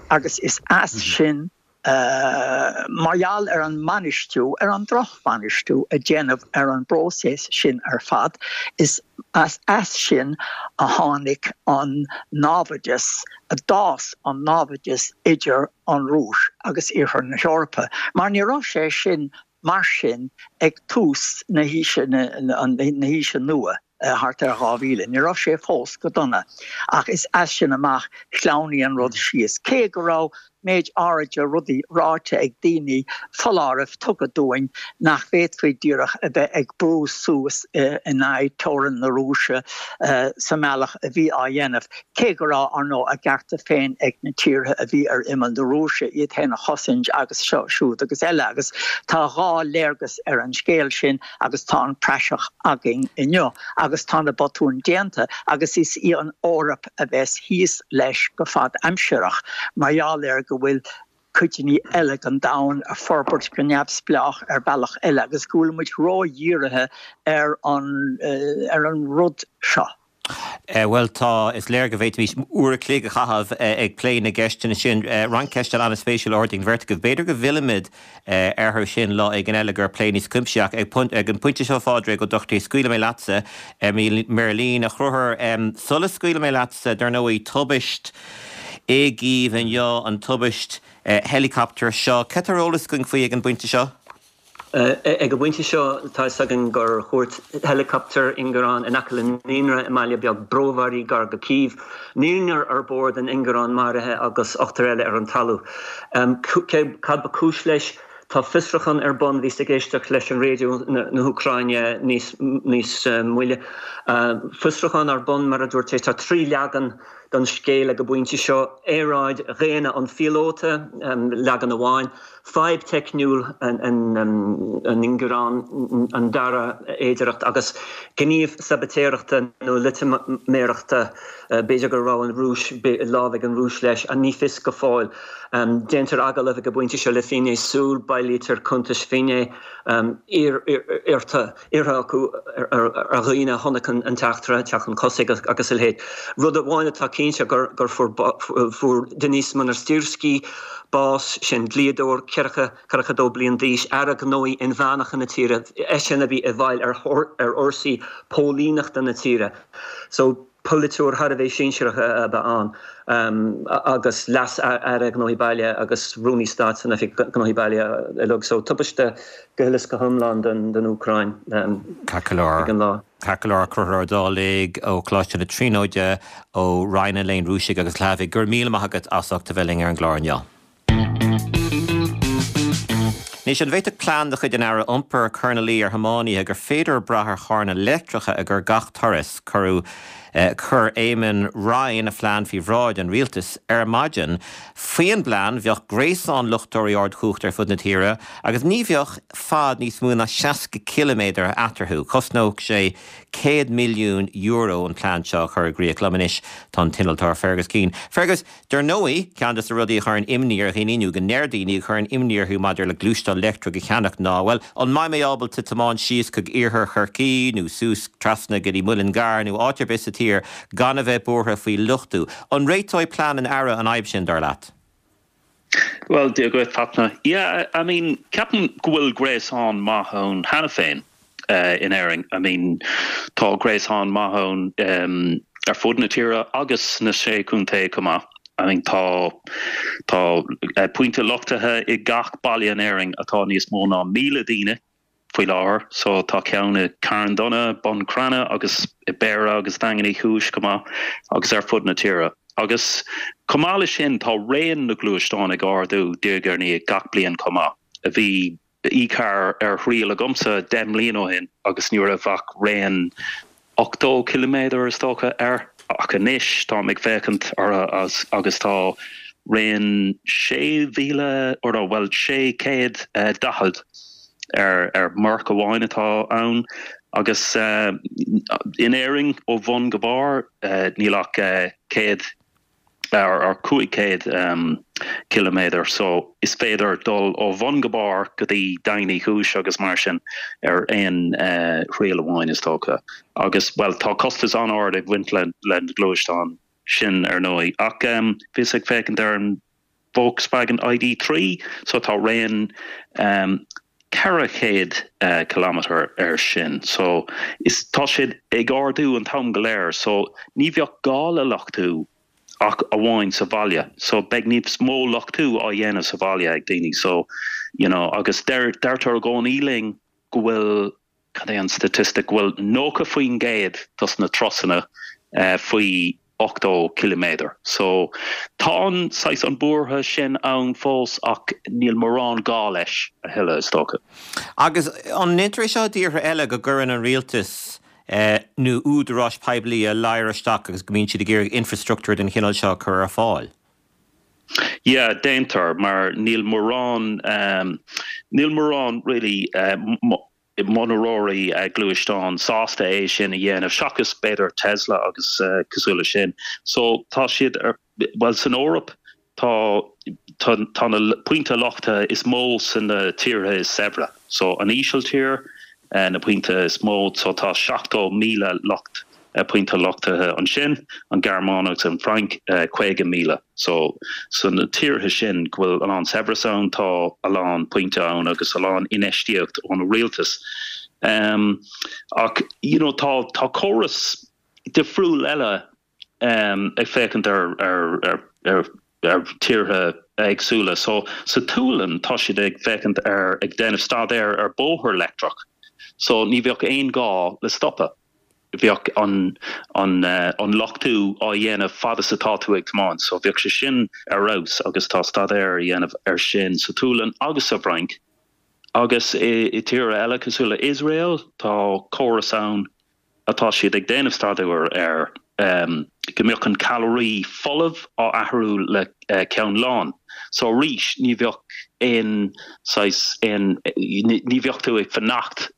agus is as sin Mar gheall ar an mbainistiú, ar an drochbhainistiú a déanadh ar an bpróiseas sin ar fad, is as sin a tháinig an náimhdeas, a d'fhás an náimhdeas idir an Rúis agus Iarthar na hEorpa. Mar ní raibh sé sin mar sin ag tús na haoise, na haoise nua. thart ar 2000. Ní raibh sé fós go dona, ach is as sin amach shleamhnaigh an rud síos. Cé go raibh méid áiride rudaí ráite ag daoine, foláirimh tugtha dúinn nach bhféadfaí díreach a bheith ag brú suas in aghaidh teorainn na Rúise sa mbealach a bhí á dhéanamh, cé go raibh, ar ndóigh, a gcearta féin ag na tíortha a bhí ar imeall na Rúise iad féin a chosaint agus seo, siúd agus eile. Agus tá dhá léargas ar an scéal sin. agus tá an praiseach againn inniu agus tá na botúin déanta agus is í an Eoraip a bheas thíos leis go fad-aimsireach mar gheall ar go bhfuil codanna eile den domhan ag forbairt go neamhspleách ar bhealach eile agus go bhfuil muid ró-dhírithe ar an ar an rud seo. Bhuel, tá, is léir go bhféadfaimis uair a chloig a chaitheamh ag plé na gceisteanna sin. Roinnt ceisteanna an-spéisiúil ardaithe ag an bheirt agaibh. B'fhéidir go bhfillfimid orthu sin lá éigin eile go plé níos cuimsithí. Ach ag an bpointe seo, a Phádraig Ó Dochartaigh, scaoilfidh mé leatsa micrealíne. A Chonchúir, sula scaoilfidh mé leatsa, dar ndóigh, tubaist i gCív inniu, an tubaist heileacaptair seo. Cad tá ar eolas againn faoi ag an bpointe seo? Ag an bpointe seo, tá fhios againn gur thuairt héileacaptar ingearán in aice le naíonra i mbaile beag Brovary gar go Cív. Naonúr ar bord an ingearáin maraithe agus ochtar eile ar an talamh. Cad ba cúis leis? Tá fiosrúchán ar bun. Bhíos ag éisteacht leis an raidió na hÚcráine níos níos moille. Fiosrúchán ar bun, mar a dúirt sé. Tá 3 leagan. don scéal ag an bpointe seo, earráid dhaonna an phíolóta, leagan amháin, fadhb teicniúil an ingearáin, an dara fhéidearthacht, agus gníomh sabaitéireachta nó loitiméireachta, b'fhéidir go raibh an Rúis, lámh ag an Rúis leis, ní fios go fóill. Déantar agallamh ag an bpointe seo le finné súl, bailítear cuntais finné iarrtha acu ar dhaoine a chonaic an t-eachtra, teacht chun tosaigh agus a leithéid. Rud amháin atá cinnte gur fuair Denys Monastyrsky bás, sin dlíodóir 42 bliain d'aois, aire gnóthaí inmheánacha na tíre, eisean a bhí i bhfeighil ar fhórsaí póilíneachta na tíre. So. Polaiteoir thar a bheith sinsearach ab ea ann agus leas-aire gnóthaí baile agus rúnaí stáit san Oifig Gnóthaí Baile uilig. So tubaiste go huile is go hiomlán don Úcráin ag an lá. Ceart go leor, Conchúr Ó Dálaigh ó Choláiste na Tríonóide, ó Roinn an Léinn Rúisigh agus Shlavaigh, go raibh míle maith agat as ucht a bheith linn ar an gclár inniu. Anois, an bhféadfadh plean de chuid an Aire Iompair cur ina luí ar thiománaithe gur féidir brath ar charranna leictreacha ag gach turas? Cuireadh Chuir Eamon Ryan a phlean faoi bhráid an rialtais ar maidin. Faoin bplean, bheadh gréasán luchtóirí ardchumhachta ar fud na tíre agus ní bheadh fad níos mó ná 60 ciliméadar eatarthu. Chosnódh sé €100 milliún an plean seo a chur i gcrích. Liom anois tá an t-innealtóir Fergus Keane. Fergus, Dar ndóigh, ceann de na rudaí a chuireann imní ar dhaoine, nó go ndeir daoine a chuireann imní orthu maidir le gluaisteán leictreach a cheannach ná, bhuel, an mbeidh mé ábalta tiomáint síos chuig iarthar Chorcaí nó suas trasna go dtí Muileann gCearr nó áit ar bith sa tír gan a bheith buartha faoi luchtú? An réiteoidh plean an Aire an fhadhb sin, dar leat? Bhuel, Dia dhuit, Fachtna. Yeah, I mean, ceapaim go bhfuil gréasán maith ann cheana féin in Éirinn. I mean, tá gréasán maith ann ar fud na tíre agus sna Sé Chontae chomh maith. I mean, tá tá pointe luchtaithe i gach baile in Éirinn atá níos mó ná 1,000 daoine faoi láthair. So tá ceann i Carn Dona, Bun Cranncha agus i Béarra agus Daingean Uí Chúis chomh maith agus ar fud na tíre. Agus chomh maith leis sin tá raon na gluaisteán ag ardú diaidh ar ndiaidh gach bliain chomh maith. Bhí e-car ar thriail agamsa 10 mbliana ó shin agus ní raibh ach raon 80 ciliméadar is dócha air ach anois táim ag féachaint orthu agus tá raon 6,000 or no bhuel 640 ar ar Merc amháin atá ann agus in Éirinn ó bhun go barr níl ach 100 ar 500 ciliméadar so is féidir dul ó bhun go barr go dtí Daingean Uí Chúis agus mar sin ar aon thriail amháin is dócha. Agus, bhuel, tá costas an-ard ag baint le na gluaisteáin sin ar ndóigh ach bhíos ag féachaint ar an Volkswagen ID3 so tá raon 400 ciliméadar air sin so is tá siad ag ardú an t-am go léir so ní bheadh gá le luchtú ach amháin sa bhaile so beidh níos mó luchtú á dhéanamh sa bhaile ag daoine so you know agus deir deirtear i gcónaí linn go bhfuil cad é an statistic, go bhfuil 90% dos na turasanna faoi 80 ciliméadar. So tá an saghas an buartha sin ann fós ach níl mórán gá leis a thuilleadh is dócha. Agus an ndéantar é seo i dtíortha eile go gcuireann an rialtas nó údaráis poiblí a ladhar isteach agus go mbíonn siad ag iarraidh infreastruchtúr den chineál seo a chur ar fáil? Yeah, déantar, mar níl mórán, níl mórán really monaróirí gluaisteán sásta é sin a dhéanamh, seachas b'fhéidir Tesla agus cosúil leis sin. So tá siad ar, bhuel san Eoraip tá, tá, tá na pointe luchtaithe is mó sna tíortha is saibhre. So an Ísiltír, na pointe is mó, so tá 70,000 lucht, pointe luchtaithe ansin, an Ghearmáin agus an Fhrainc, 50,000. So, sna tíortha sin go bhfuil a lán saibhreas ann, tá a lán pointe ann agus a lán infheistíocht ón rialtas. Ach, you know, tá, tá córas difriúil eile ag féachaint ar, ar, ar, ar, ar tíortha éagsúla. So, sa tSualainn, tá siad ag féachaint ar, ag déanamh staidéar ar bóthar leictreach. So, ní bheadh aon gá le stopadh. Bheadh an an luchtú á dhéanamh fad is atá tú ag tiomáint. So bheadh sé sin ar fheabhas agus tá staidéar á dhéanamh ar sin sa tSualainn agus sa bhFrainc agus i tíortha eile cosúil le Iosrael tá córas ann atá siad ag déanamh staidéar air. go mbeadh an calraí folamh á athrú le ceann lán. So arís ní bheadh aon saghas aon ní bheadh tú ag fanacht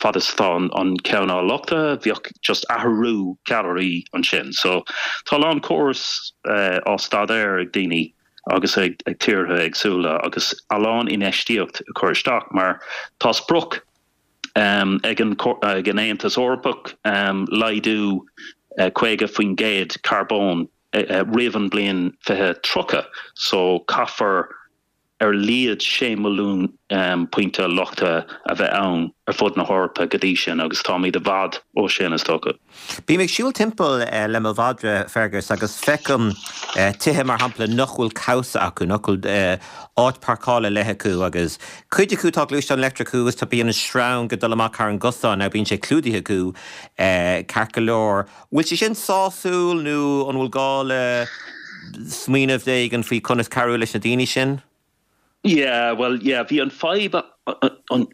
fad is atá an ceann á luchtú, bheadh just athrú calraí ansin. So tá a lán córas á staidéar ag daoine agus ag tíortha éagsúla agus a lán infheistíocht a chur isteach mar tá sprioc ag an Aontas Eorpach laghdú 50% carbóin roimh an bliain 2030 so caithfear ar a laghad 6 milliún pointe luchtaithe a bheith ann ar fud na hEorpa go dtí sin agus táimid i bhfad ó sin is dócha. Bím ag siúl timpeall le mo mhadra, Fergus, agus feicim tithe, mar shampla, nach bhfuil cabhsa acu, nach bhfuil áit páirceála ar leith acu agus cuid acu tá gluaisteán leictreach acu agus tá bíonn an sreang ag dul amach thar an gcosán, now bíonn sé clúdaithe acu ceart go leor. Bhfuil sé sin sásúil nó an bhfuil gá le smaoineamh éigin faoi conas cabhrú leis na daoine sin? Yeah, bhuel, yeah, bhí an fadhb,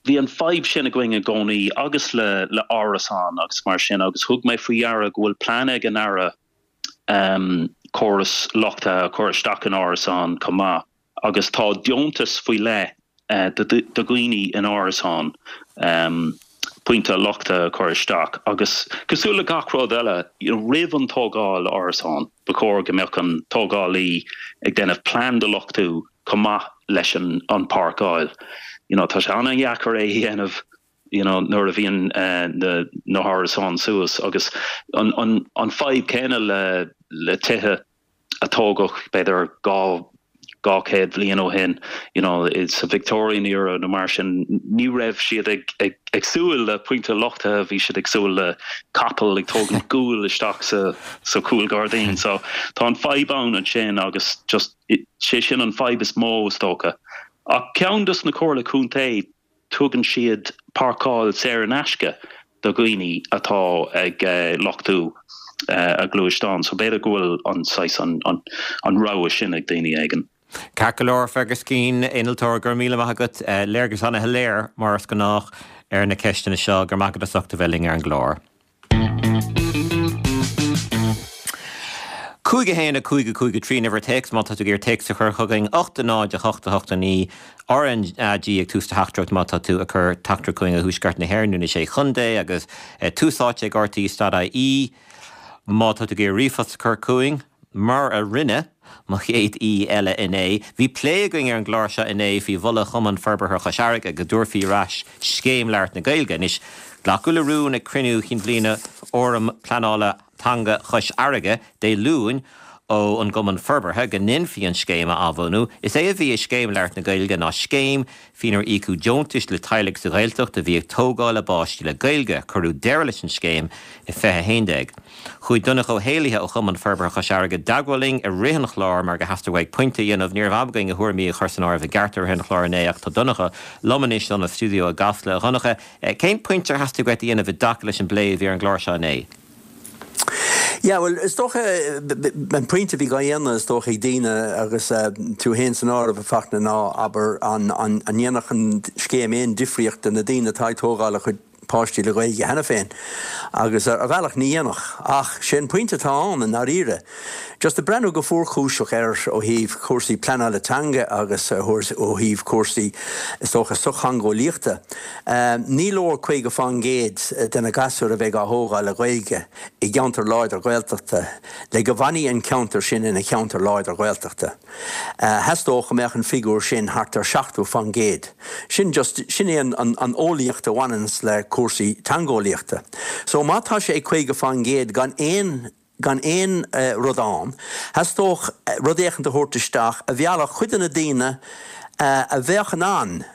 bhí an fadhb sin againn i gcónaí agus le, le árasáin agus mar sin agus thug mé faoi deara go bhfuil plean ag an Aire córas luchtaithe a chur isteach in árasáin chomh maith agus tá deontas faoi leith do dhaoine in árasáin pointe luchtaithe a chur isteach agus cosúil le gach rud eile, you know, roimh an tógáil árasán, ba chóir go mbeadh an tógálaí ag déanamh plean do luchtú chomh maith leis an an páirceáil. You know, tá sé an-dheacair é a dhéanamh you know, nuair a bhíonn na na hárasáin suas agus an an an fadhb céanna le le tithe a tógadh b'fhéidir 200 bhliain ó shin, you know, sa Victorian era nó mar sin, ní raibh siad ag, ag, ag súil le pointe luchtaithe, bhí siad ag súil le capall ag tógaint gual isteach sa, sa chúlghairdín. So tá an fadhb ann ansin agus just sé sin an fadhb is mó is dócha. Ach ceann dos na comhairle contae tugann siad páirceáil saor in aisce do dhaoine atá ag luchtú a ngluaisteán so b'fhéidir go bhfuil an saghas an rogha sin ag daoine éigin. Ceart go leor, Fergus Keane, innealtóir, go raibh míle maith agat. Léargas ana-shoiléir, mar is gnách, ar na ceisteanna seo. Go raibh maith agat as ucht a bheith linn ar an gclár. 5 1 5 5 3 an uimhir téacs má tá tú ag iarraidh téacs a chur chugainn, 8 0 8 8 9 RnaG ag tús do theachtaireacht má tá tú ag cur teachtaireacht chugainn ó Thuaisceart na hÉireann nó na Sé Chontae agus Tús Áite ag RTÉ dot ie má tá tú ag iarraidh ríomhphost a chur chugainn. Mar a rinne mo chéad aoi eile inné, bhí plé againn ar an gclár seo inné faoi mholadh Chumann Forbartha Chois Fharraige go dtabharfaí ar ais Scéim Labhairt na Gaeilge. Anois, glacadh le rún ag cruinniú chinn bhliana Fhóram Pleanála Teanga Chois Fharraige Dé Luain ó an gCumann Forbartha go ndéanfaí an scéim a athbhunú. Is é a bhí i Scéim Labhairt na Gaeilge ná scéim faoinar íocadh deontais le teaghlaigh sa Ghaeltacht a bhí ag tógáil a bpáistí le Gaeilge. Cuireadh deireadh leis an scéim i 2011. Chuaigh Donncha Ó hÉallaithe ó Chumann Forbartha Chois Fharraige i dteagmháil linn i rith an chláir mar gur theastaigh uaidh pointe a dhéanamh. Ní raibh am againn a thuairimí a chur san áireamh i gceart i rith an chláir inné ach tá Donncha liom anois liom sa stiúideo i gCasla. A Dhonncha, cén pointe ar theastaigh uait a dhéanamh i dtaca leis an bplé a bhí ar an gclár seo inné? Yeah, bhuel, is dócha, an pointe a bhí á dhéanamh, is dócha, ag daoine, agus tú féin san áireamh, a Fachtna, ná, abair, an ndéanfadh an scéim aon difríocht do na daoine atá ag tógáil a gcuid páistí le Gaeilge cheana féin? Agus ar bhealach, ní dhéanfadh. Ach sé an pointe atá ann, i ndáiríre, just ag breathnú go fuarchúiseach air ó thaobh cúrsaí pleanála teanga agus ó thaobh cúrsaí, is dócha, sochtheangeolaíochta, Ní leor 50% de na gasúir a bheidh á thógáil le Gaeilge i gceantar láidir Gaeltachta le go bhfanfaidh an ceantar sin ina cheantar láidir Gaeltachta. Theastódh go mbeadh an figiúr sin thart ar 70%. Sin just, sin é an eolaíocht a bhaineanns le cúrsaí teangeolaíochta. So má tá sé ag 50% gan aon gan aon rud ann, theastódh rud éicint a thabhairt isteach a mheallfadh cuid de na daoine a bheadh in ann,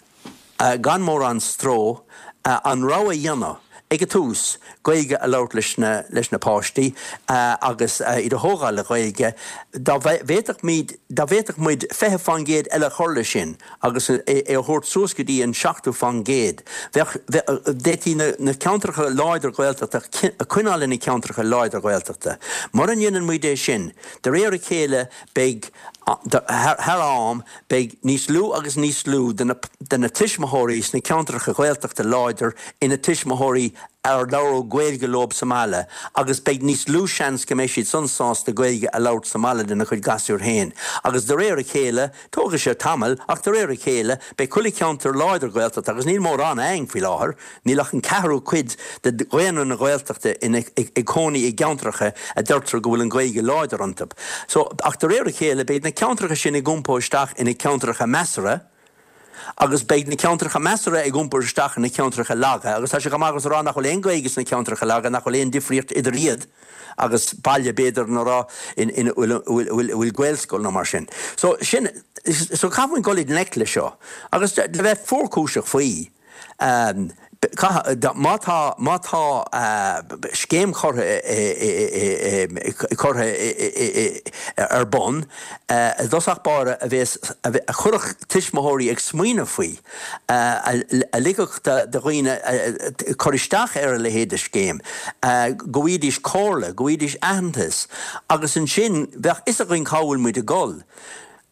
gan mórán stró, an rogha a dhéanamh ag an tús, Gaeilge a labhairt leis na leis na páistí agus iad a thógáil le Gaeilge. Dá bhféadfadh dá bhféadfadh muid 20% eile a chur leis sin, agus é a thabhairt suas go dtí an 70%. Bheadh, d'fhéadfaí na ceantracha láidir Gaeltachta a choinneáil ina ceantracha láidir Gaeltachta. Mura ndéanann muid é sin, de réir a chéile beidh, thar am, beidh níos lú agus níos lú de na tuismitheoirí sna ceantracha Gaeltachta láidir ina tuismitheoirí. ar labhradh Gaeilge leob sa mbaile agus beidh níos lú seans go mbeidh siad san sásta Gaeilge a labhairt sa mbaile lena chuid gasúir féin. Agus de réir a chéile, tógfaidh sé tamall, ach de réir a chéile, beidh chuile cheantar láidir Gaeltachta, agus níl mórán againn faoi láthair, níl ach an ceathrú cuid de dhaonra na Gaeltachta ina ag cónaí i gceantracha a deirtear go bhfuil an Ghaeilge láidir iontu. So, ach de réir a chéile, beidh na ceantracha sin ag iompó isteach ina ceantracha measartha, Agus beidh na ceantracha measartha ag iompar isteach ina ceantracha laga, agus tá sé chomh maith agus a rá nach bhfuil aon Ghaeilge sna ceantracha laga, nach bhfuil aon difríocht idir iad agus baile, b'fhéidir, ina raibh, ina bhfuil Gaelscoil nó mar sin. So, sin, so caithfidh muid dul i ngleic le seo. Agus le bheith fuarchúiseach faoi. Má tá, má tá scéim curtha curtha ar bun i dtosach báire a bhéas, a chuirfeadh tuismitheoirí ag smaoineamh faoi, a ligfeadh do dhaoine cur isteach ar a leithéid de scéim, go bhfaighidís comhairle, go bhfaighidís aitheantas agus ansin bheadh fhios againn cá bhfuil muid ag dul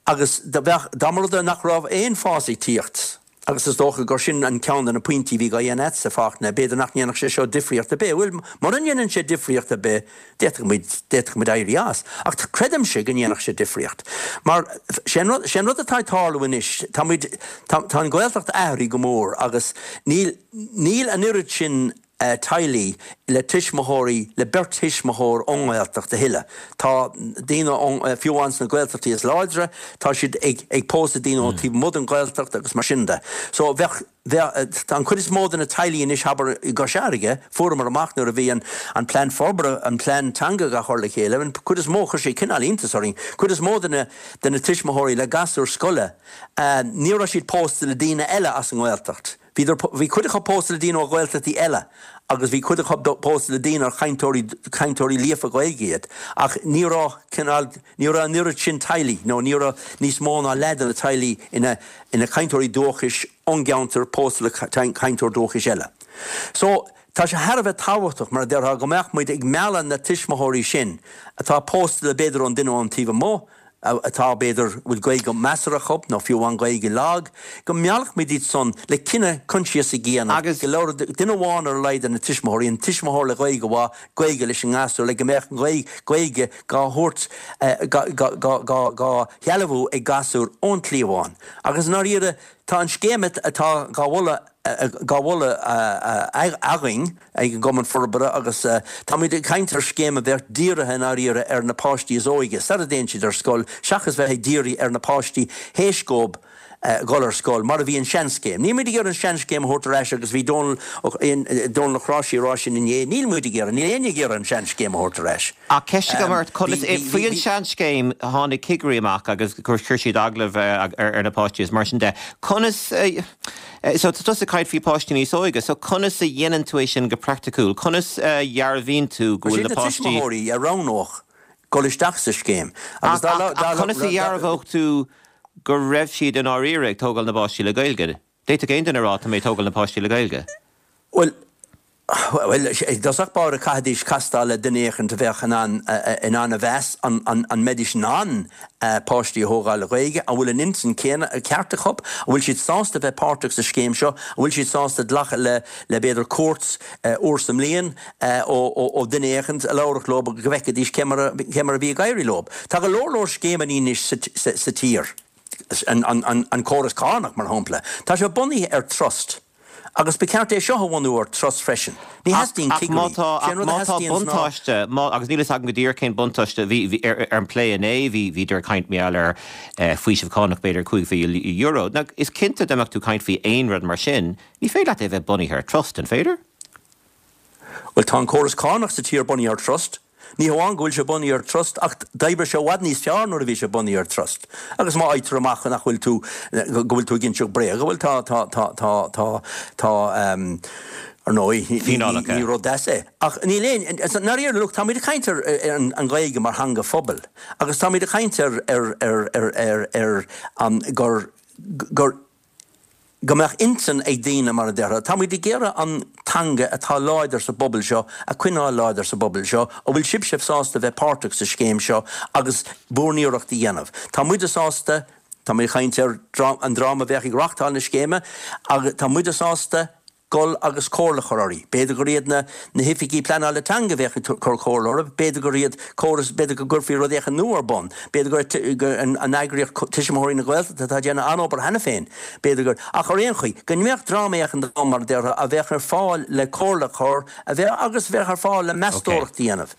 agus bheadh, dá mba rud é nach raibh aon fás ag tíocht. Agus is dócha gur sin an ceann de na pointí a bhí dhá dhéanamh a'dsa, Fachtna, b'fhéidir nach ndéanfadh sé seo difríocht ar bith. Bhuel, mura ndéanann sé difríocht ar bith, d'fhéadfadh muid, d'fhéadfadh muid éirí as. Ach creidimse go ndéanfadh sé difríocht. Mar, sé an rud, sé an rud atá ag tarlú anois, tá muid, tá, tá an Ghaeltacht athraithe go mór agus níl, níl an oiread sin, teaghlaigh le tuismitheoirí, le beirt thuismitheoir ón nGaeltacht a thuilleadh. Tá daoine ón, fiú amháin sna Gaeltachtaí is láidre, tá siad ag, ag pósadh daoine ón taobh amuigh den Ghaeltacht agus mar sin de. So bheadh, bheadh, tá an chuid is mó de na teaghlaigh anois, abair, i gCois Fharraige, fuaireamar amach nuair a bhí an, an plean forbartha, an plean teanga dhá chur le chéile, an chuid is mó, chuir sé cineál iontas orainn, cuid is mó de na, de na tuismitheoirí le gasúir scoile, ní raibh siad pósta le daoine eile as an nGaeltacht. Bhíodar, bhí cuid acu pósta le daoine ó Ghaeltachtaí eile agus bhí cuid acu pósta le daoine ar chainteoirí, cainteoirí líofa Gaeilge iad ach ní raibh cineál, ní raibh an oiread sin teaghlaigh nó ní raibh níos mó ná leath de na teaghlaigh ina, ina cainteoirí dúchais ón gceantar pósta le cainteoir dúchais eile. So, tá sé thar a bheith tábhachtach, mar a déarfá, go mbeadh muid ag mealladh na tuismitheoirí sin atá pósta le b'fhéidir ón duine ón taobh amuigh, atá, b'fhéidir, bhfuil Gaeilge measartha acu nó fiú amháin Gaeilge lag, go meallfadh muid iad san le cinneadh coinsiasach a dhéanamh Agus. go labhródh duine amháin ar a laghad de na tuismitheoirí, an tuismitheoir le Gaeilge mhaith, Gaeilge leis an ngasúr le go mbeadh an Ghaeilge dhá thabhairt, dhá shealbhú ag gasúr ón chliabhán. Agus i ndáiríre, tá an scéim atá dhá mholadh, dhá mholadh againn ag an gCumann Forbartha agus táimid ag caint ar scéim a bheadh dírithe i ndáiríre ar na páistí is óige sara dtéann siad ar scoil seachas bheith ag díriú ar na páistí théis dóibh dhul ar scoil, mar a bhí an seanscéim. Níl muid ag iarraidh an seanscéim a thabhairt ar ais agus bhí Dónal Dónal Ó Cnáimhsí ag rá sin inné, níl muid ag iarraidh, níl éinne ag iarraidh an seanscéim a thabhairt ar ais. Ach ceist agam ort, conas, faoi an seanscéim tháinig cigirí amach agus chuir siad agallamh ar na páistí is mar sin de, conas, So, tá tusa ag caint faoi páistí níos óige, so conas a dhéanann tú é sin go praiticiúil? Conas a dhearbhaíonn tú go bhfuil na páistí. Is iad na tuismitheoirí a roghnódh dul isteach sa scéim agus dá. Ach conas a dhearbhódh tú go raibh siad i ndáiríre ag tógáil na bpáistí le Gaeilge? D'fhéadfadh aon duine a rá tá mé ag tógáil na páistí le Gaeilge. Bhuel, Bhuel, i dtosach báire chaithfidís castáil le duine éicint a bheadh in ann in ann a mheas an an mbeidís in ann páistí a thógáil le Gaeilge, an bhfuil an intinn céanna ceart acu, an bhfuil siad sásta bheith páirteach sa scéim seo, an bhfuil siad sásta glacadh le le b'fhéidir cuairt uair sa mbliain ó ó duine éicint a labharfadh leo go bhfeicfidís cé mar a cé mar a bhí ag éirí leo. Tá go leor leor scéimeanna anois sa sa sa tír, an an an córas cánach mar shampla, tá sé bunaithe ar trust. Agus ba cheart é seo a bhunú ar trust freisin. Ní theastaíonn Ach má cigirí. tá, Sé ach an rud a má tá theastaíonns ná. buntáiste, má, agus níl fhios agam go díreach cén buntáiste, bhí, bhí, ar, ar an bplé inné, bhí, bhíodar ag caint mar gheall ar eh, faoiseamh cánach b'fhéidir €5,000. Now, is cinnte dá mbeadh tú ag caint faoi aon rud mar sin, ní féidir leat é a bheith bunaithe ar trust, an féidir? Bhuel, tá an córas cánach sa tír bunaithe ar trust. Ní hamháin go bhfuil sé bunaithe ar trust ach d'oibrigh sé i bhfad níos fearr nuair a bhí sé bunaithe ar trust. Agus má fhaightear amach nach bhfuil tú, go bhfuil tú ag inseacht bréaga, bhuel tá, tá, tá, tá, tá, tá, ehm, ar ndóigh, ní, ní, ní rud deas é. Ach níl aon, i ndáiríre, look, táimid ag caint ar, ar an, an Ghaeilge mar theanga phobail agus táimid ag caint ar, ar, ar, ar, ar, ar an, gur, gur, go mbeadh intinn ag daoine, mar a déarfá. Tá muid ag iarraidh an teanga atá láidir sa bpobal seo a choinneáil láidir sa bpobal seo. An bhfuil sibhse sásta bheith páirteach sa scéim seo agus bhur n-iarracht a dhéanamh? Tá muide sásta, tá mé ag caint ar an dream a bheadh ag reachtáil na scéime, agus tá muide sásta. Dul agus comhairle a chur orthu. B'fhéidir gur iad na na hoifigigh pleanála teanga a bheadh ag cur comhairle orthu, b'fhéidir gur iad córas, b'fhéidir go gcuirfí rud éicint nua ar bun, b'fhéidir gur gur an an eagraíocht Tuismitheoirí na Gaeltachta atá ag déanamh an-obair cheana féin, b'fhéidir gur, ach ar aon chaoi, go mbeadh dream éicint ann mar a déarfá a bheadh ar fáil le comhairle a chur, a bheadh agus a bheadh ar fáil le meastóireacht a dhéanamh.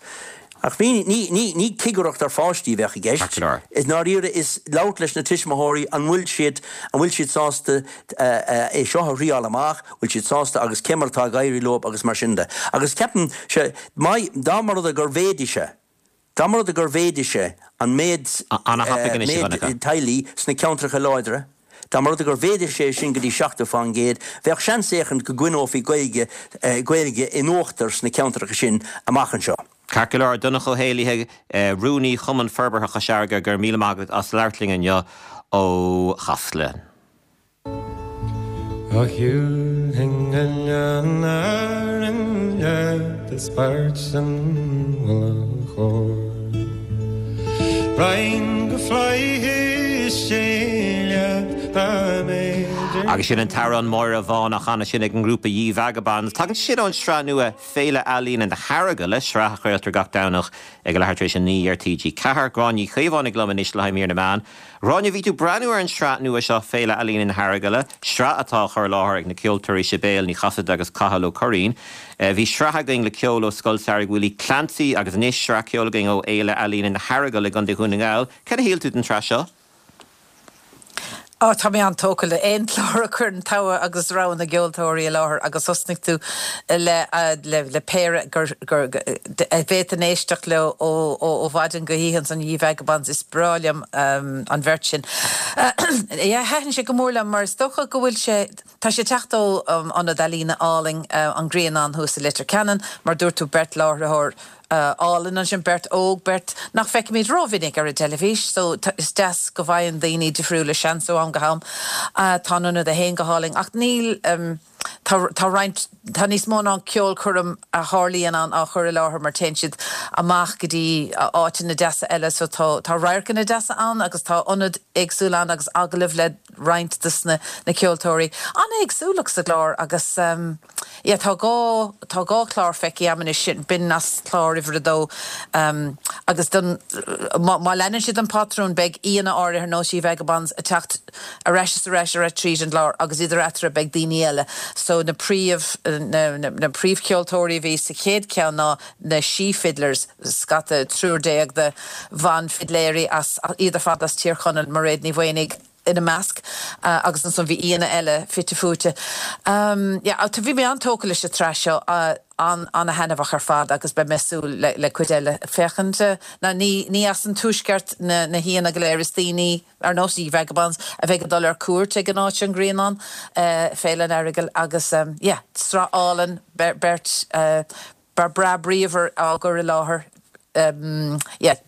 Ach ní, ní, ní, ní cigireacht ar pháistí a bheadh i gceist. I ndáiríre is labhairt leis na tuismitheoirí, an bhfuil siad, an bhfuil siad sásta é seo a thriáil amach, bhfuil siad sásta agus cé mar atá ag éirí leo agus mar sin de. Agus ceapaim, sea, má, dá mba rud é gur mhéadaigh sé, dá mba rud é gur mhéadaigh sé an méid, méid teaghlaigh sna ceantracha láidre, Dá mba rud é gur mhéadaigh sé sin go dtí 70%, bheadh seans éicint go gcoinneofaí Gaeilge Gaeilge in uachtar sna ceantracha sin amach anseo. Ceart go leor, Donncha Ó hÉallaithe, Rúnaí Chumann Forbartha Chois Fharraige, go raibh míle maith agat as labhairt linn inniu ó Chasla. A shiúlfainn Oileán Árann leat is páirt san mhullach óir. Raghainn go Flaithis Dé leat dá mb'fhéidir. Agus sin an t-amhrán Máire Bhán á chanadh sin ag an ngrúpa Ye Vagabonds. Tagann sé sin ón sraith nua Féile Ealaíne na hEaragaile, sraith a chraoltar gach Domhnach ag a leathuair tar éis a 9 ar TG4. Gráinne Ní Chaomhánaigh liom anois le haghaidh mír na meán. Gráinne, bhí tú ag breathnú ar an sraith nua seo Féile Ealaíne na hEaragaile, sraith atá á chur i láthair ag na ceoltóirí Sibéal Ní Chasaide agus Cathal Ó Curraoin. Bhí sraith againn le ceol ó Scoil Samhraidh Willie Clancy agus anois sraith ceoil againn ó Fhéile Ealaíne na hEaragaile i gContae Dhún na nGall. Cad a shíl tú den tsraith seo? Á, tá mé an-tógtha le aon chlár a chuireann togha agus rogha na gceoltóirí i láthair agus thosnaigh tú le le péire gur gur a bhféadfainn éisteacht leo ó ó mhaidin go hoíche ansan Ye Vagabonds is breá liom an bheirt sin. Yeah, thaitin sé go mór liom mar is dócha go bhfuil sé tá sé ag teacht ó ionad ealaíne álainn An Grianán thuas i Leitir Ceanainn mar dúirt tú beirt láithreoir álainn ansin, beirt óg, beirt nach bhfeicimid rómhinic ar an teilifís so is deas go bhfaigheann daoine difriúla seans ó am go ham. Tá an ionad é féin go hálainn ach níl, tá, tá roinnt, tá níos mó ná ceolchoirm a tharlaíonn ann á chur i láthair mar téann siad amach go dtí áiteanna deasa eile so tá, tá radharcanna deasa ann agus tá ionaid éagsúla ann agus agallaimh le roinnt dos na ceoltóirí. An-éagsúlacht sa gclár agus yeah tá dhá, tá dhá chlár feicthe agam anois, sin, b'in as clár uimhir a dó agus don, má, má leanann siad an patrún beidh aíonna áirithe ar nós Ye Vagabonds ag teacht ar ais is ar ais ar ais tríd an gclár agus idir eatarthu beidh daoine eile. So na príomh, na, na, na príomhcheoltóirí a bhí sa chéad cheann ná na She Fiddlers, scata, triúr déag de bhanfhidléirí as, iad ar fad as Tír Chonaill, Mairéad Ní Mhaonaigh, ina measc agus ansan bhí aíonna eile fite fuaite. Yeah, bhí mé an-tógtha leis an tsraith seo, an-thaitneamhach ar fad agus beidh mé ag súil le cuid eile féachaint. Now ní ní as an tuaisceart na na haíonna go léir, is daoine ar nós Ye Vagabonds a bheidh ag dul ar cuairt ag an áit seo, an Grianán, Féile an Earagail agus yeah, sraith álainn, beirt breá bríomhar á gcur i láthair. Yeah.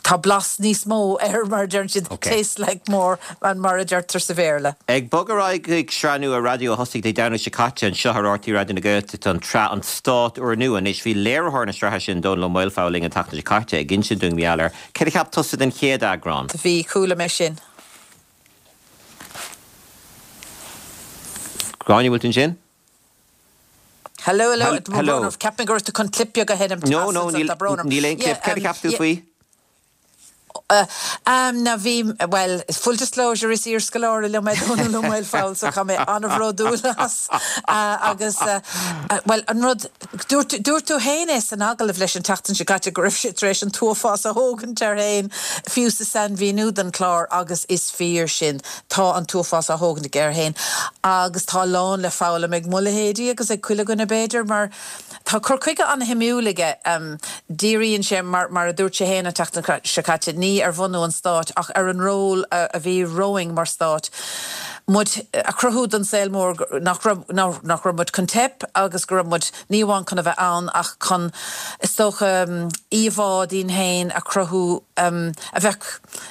Tá blas níos mó air, mar a deireann siad, tastes like more, mar a deirtear sa Bhéarla. Ag bogadh ar aghaidh chuig sraith nua raidió a thosaigh Dé Domhnaigh seo caite anseo ar RTÉ Raidió na Gaeltachta, an tsraith An Stát Úrnua. Anois, bhí léiritheoir na sraithe sin, Dónall Ó Maolfabhail, linn an tseachtain seo caite ag insint dúinn mar gheall air. Céard a cheap tusa den chéad eagrán? Bhí, chuala mé sin. Gráinne, bhfuil tú ansin? Hello, hello, Tá brón orm. Cheap mé go raibh tú chun clip beag a sheinm. No, no, níl, níl aon clip. Céard a cheap tú faoi? Now bhí, bhuel, full disclosure, is iarscoláire liom é Dónall Ó Maolfabhail so tá mé an-bhródúil as. Agus, bhuel, an rud, dúirt, dúirt tú féin é san agallamh leis an tseachtain seo caite go raibh sé tar éis an t-uafás a thógaint air féin, fiú sa sainmhíniú don chlár agus is fíor sin. Tá an t-uafás á thógaint aige air féin agus tá a lán le foghlaim ag mo leithéidí agus ag chuile dhuine b'fhéidir mar tá cur chuige an-shuimiúil aige. Díríonn sé, mar mar a dúirt sé féin an tseachtain seo caite, ní ar bhunú an stáit ach ar an ról a bhí romhainn mar stát, muid a chruthú don saol mór nach raibh nach raibh muid chun teip agus go raibh muid ní amháin chun a bheith ann ach chun, is dócha, íomhá dínn féin a chruthú a bheadh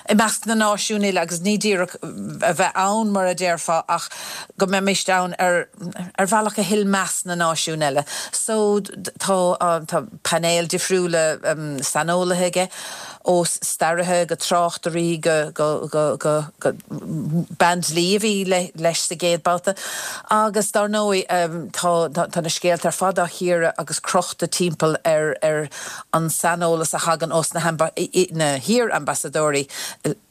i measc na náisiún uile agus ní díreach a bheith ann mar a déarfá ach go mbeimist ann ar ar bhealach a thuill meas na náisiún eile. So tá tá painéal difriúla saineolaithe aige. Ó staraithe go tráchtairí go go go go go bean dlí a bhí leis sa gcéad babhta. Agus dár ndóigh tá tá na scéalta ar fad á chíoradh agus crochta timpeall ar ar an saineolas a thagann ós na na hiar-ambasadóirí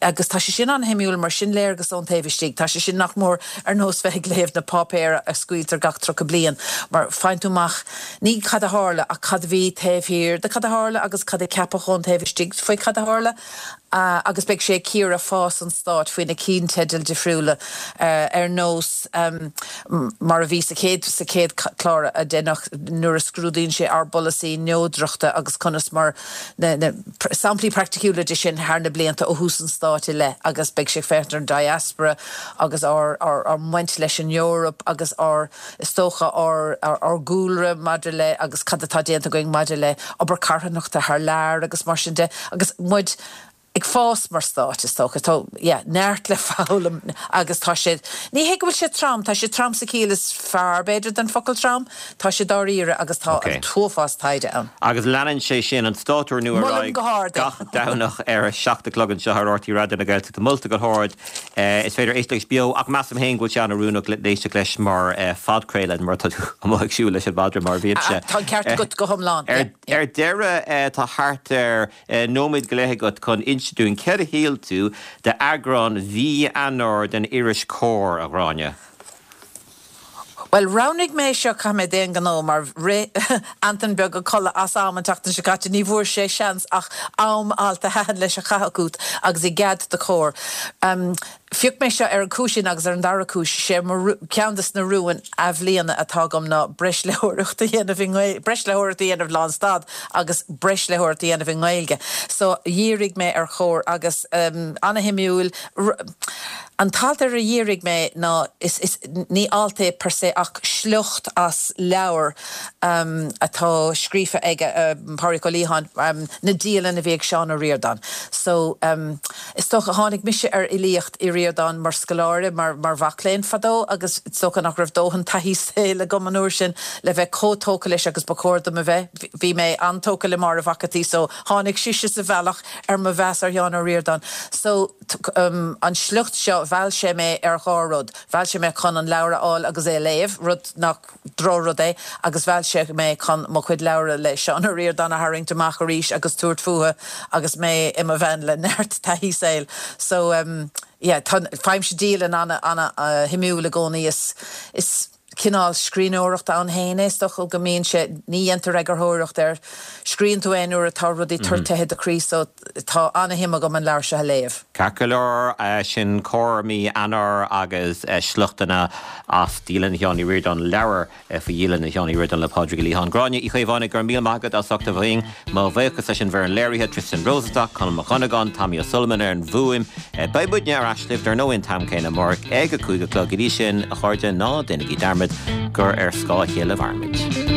agus tá sé sin an-shuimiúil mar sin léargas ón taobh istigh. Tá sé sin nach mór ar nós bheith ag léamh na páipéir a scaoiltear gach 30 bliain mar faigheann tú amach Ní cad a tharla ach cad a bhí taobh thiar de cad a tharla agus cad a ceapadh ón taobh istigh faoi cad a tharla. Agus beidh sé ag cíoradh fás an stáit faoi na cinnteidil difriúla ar nós mar a bhí sa chéad sa chéad chlár a deineadh nuair a scrúdaíonn sé ár bpolasaí neodrachta agus conas mar na na samplaí praiticiúla de sin thar na blianta ó thús an stáit i leith agus beidh sé ag féachaint ar an diaspora agus ár ár ár mbaint leis an Eoraip agus ár Is dócha ár ár gcúlra maidir le agus cad atá déanta againn maidir le obair carthanachta thar lear agus mar sin de agus muid ag fás mar stát is dócha. Tá yeah neart le foghlaim agus tá sé, ní hé go bhfuil sé trom, tá sé trom sa chiall is fearr b'fhéidir den focal trom, tá sé dáiríre agus tá an t-uafás taighde ann. Agus leanann sé sin, an Stát Úrnua ar Molaim aghaidh go hard é. gach Domhnach ar a 7 a chlog anseo ar RTÉ Raidió na Gaeltachta. Molta go hard. Is féidir éisteacht leis beo ach measaim féin go bhfuil sé an-oiriúnach le éisteacht leis mar phodchraoladh mar tá tú amuigh ag siúl leis an mhadra mar a bhímse. Tá an ceart agat go hiomlán. Ar deireadh, tá thart ar nóiméad go leith agat chun inse dúinn céard a shíl tú d'eagrán mhí Eanáir den iris Comhar, a Ghráinne. Bhuel, roghnaigh mé seo, caithfidh mé d'aon ghnó, mar rith Antain beag a codladh as am an tseachtain seo caite, ní bhfuair sé seans ach am alt a thaitin leis a chaitheamh chugat agus i gcead do Comhar. Phioc mé seo ar an chúis sin agus ar an dara cúis, sé mo, ceann des na rúin athbhliana atá agam ná breis léitheoireacht a dhéanamh i nGaeilge, breis léitheoireacht a dhéanamh lánstad agus breis léitheoireacht a dhéanamh i nGaeilge. So, dhírigh mé ar Chomhar agus ana-shuimiúil, An t-alt ar ar dhírigh mé ná, is, is, ní alt é per se ach sliocht as leabhar atá scríofa ag Pádraig Ó Liatháin, na dialanna a bhí ag Seán Ó Ríordáin. So, is dócha, tháinig mise ar fhilíocht Uí Ríordáin mar scoláire, mar, mar mhac léinn fadó agus is dócha nach raibh dóthain taithí saoil agam an uair sin le bheith chomh tógtha leis agus ba chóir dom a bheith. Bhí mé an-tógtha le Máire Mhac a' tSaoi so tháinig sise sa bhealach ar mo mheas ar Sheán Ó Ríordáin. So, An sliocht seo, mheall sé mé ar dhá rud. Mheall sé mé chun an leabhar a fháil agus é a léamh, rud nach drochrud é, agus mheall sé mé chun mo chuid leabhra le Seán Ó Ríordáin a tharraingt amach arís agus tabhairt fúthu agus mé i mo bhean le neart taithí saoil. So, yeah, tá, faighimse dialann ana-shuimiúil i gcónaí. Is, is. cineál scríbhneoireachta ann féin é, is dócha go mbíonn sé, ní dhéantar eagarthóireacht air, scríobhann tú é nuair atá rudaí toirtithe i do chroí so tá ana-shuim agam an leabhar seo a léamh. Ceart go leor, sin Comhar mí Eanáir agus sliochtanna as Dialann Sheáin Uí Ríordáin, leabhar faoi Dhialanna Sheáin Uí Ríordáin le Pádraig Ó Liatháin. Gráinne Uí Chaomhánaigh, go raibh míle maith agat as ucht a bheith linn. Mo bhuíochas leis an bhfoireann léirithe, Tristan Rosenstock, Conall Mac Dhonnagáin, Tommy O'Sullivan ar an bhfuaim. Beidh muidne ar ais libh dar ndóigh an t-am céanna amárach ag a 5 a chlog. Go dtí sin, a chairde, ná déanaigí dearmad gur ar scáth a chéile a mhairimid.